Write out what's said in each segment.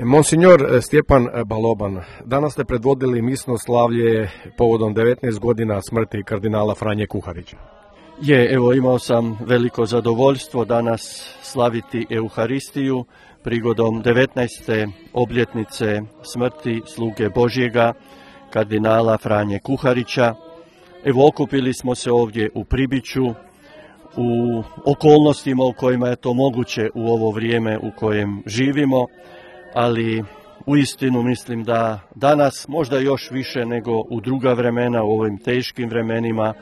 Monsignor Stjepan Baloban, danas ste predvodili misno slavlje povodom 19 godina smrti kardinala Franje Kuharića. Evo imao sam veliko zadovoljstvo danas slaviti Euharistiju prigodom 19. obljetnice smrti sluge Božjega, kardinala Franje Kuharića. Evo okupili smo se ovdje u Pribiću, u okolnostima u kojima je to moguće u ovo vrijeme u kojem živimo, ali uistinu mislim da danas možda još više nego u druga vremena, u ovim teškim vremenima,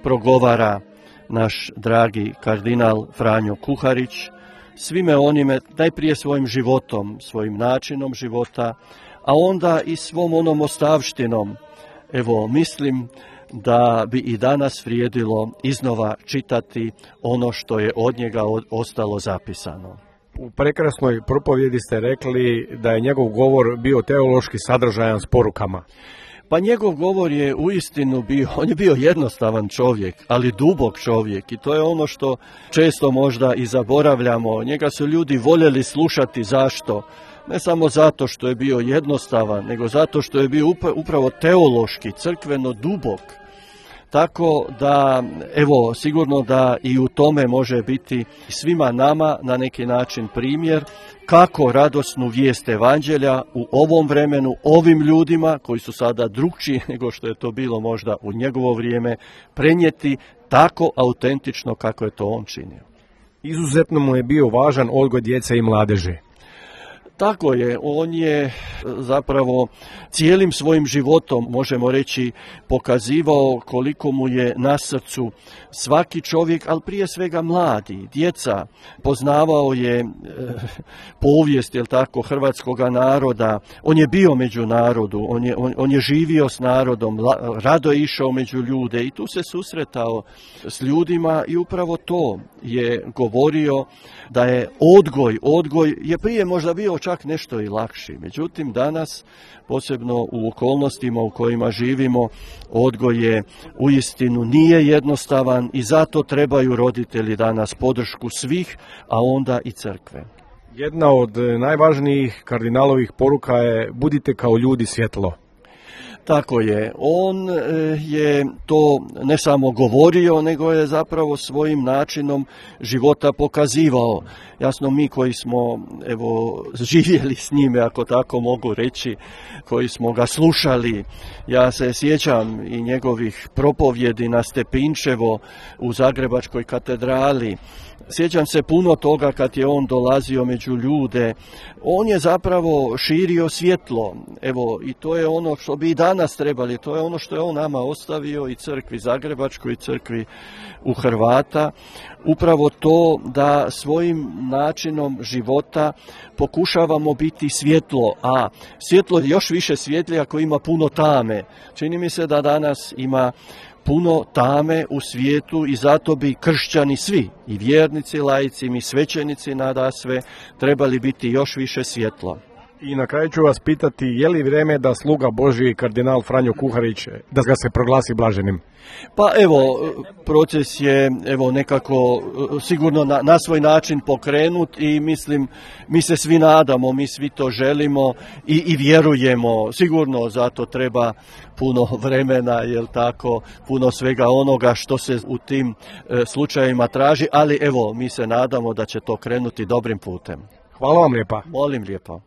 progovara naš dragi kardinal Franjo Kuharić, svime onime, najprije svojim životom, svojim načinom života, a onda i svom onom ostavštinom. Evo, mislim da bi i danas vrijedilo iznova čitati ono što je od njega ostalo zapisano. U prekrasnoj propovjedi ste rekli da je njegov govor bio teološki sadržajan s porukama. Pa njegov govor je uistinu bio, on je bio jednostavan čovjek, ali dubok čovjek i to je ono što često možda i zaboravljamo. Njega su ljudi voljeli slušati, zašto? Ne samo zato što je bio jednostavan, nego zato što je bio upravo teološki, crkveno dubok. Tako da, evo, sigurno da i u tome može biti svima nama na neki način primjer kako radosnu vijest evanđelja u ovom vremenu, ovim ljudima koji su sada drukčiji nego što je to bilo možda u njegovo vrijeme, prenijeti tako autentično kako je to on činio. Izuzetno mu je bio važan odgoj djece i mladeži. Tako je, on je zapravo cijelim svojim životom, možemo reći, pokazivao koliko mu je na srcu svaki čovjek, ali prije svega mladi, djeca. Poznavao je povijest, hrvatskoga naroda, on je bio među narodu, on je živio s narodom, rado je išao među ljude i tu se susretao s ljudima i upravo to je govorio da je odgoj je prije možda bio čak nešto i lakši. Međutim, danas, posebno u okolnostima u kojima živimo, odgoj je uistinu nije jednostavan i zato trebaju roditelji danas podršku svih, a onda i crkve. Jedna od najvažnijih kardinalovih poruka je budite kao ljudi svjetlo. Tako je, on je to ne samo govorio, nego je zapravo svojim načinom života pokazivao. Jasno, mi koji smo živjeli s njime, ako tako mogu reći, koji smo ga slušali, ja se sjećam i njegovih propovjedi na Stepinčevo u Zagrebačkoj katedrali. Sjećam se puno toga kad je on dolazio među ljude. On je zapravo širio svjetlo. I to je ono što bi i danas trebali. To je ono što je on nama ostavio i crkvi Zagrebačkoj i crkvi u Hrvata. Upravo to da svojim načinom života pokušavamo biti svjetlo, a svjetlo još više svijetlije ako ima puno tame. Čini mi se da danas ima puno tame u svijetu i zato bi kršćani svi, i vjernici, laici, mi svećenici nadasve, trebali biti još više svjetlo. I na kraju ću vas pitati, je li vrijeme da sluga Božji kardinal Franjo Kuharić, da ga se proglasi blaženim? Pa proces je nekako sigurno na svoj način pokrenut i mislim, mi se svi nadamo, mi svi to želimo i vjerujemo. Sigurno zato treba puno vremena, puno svega onoga što se u tim slučajevima traži, ali mi se nadamo da će to krenuti dobrim putem. Hvala vam lijepa. Molim lijepo.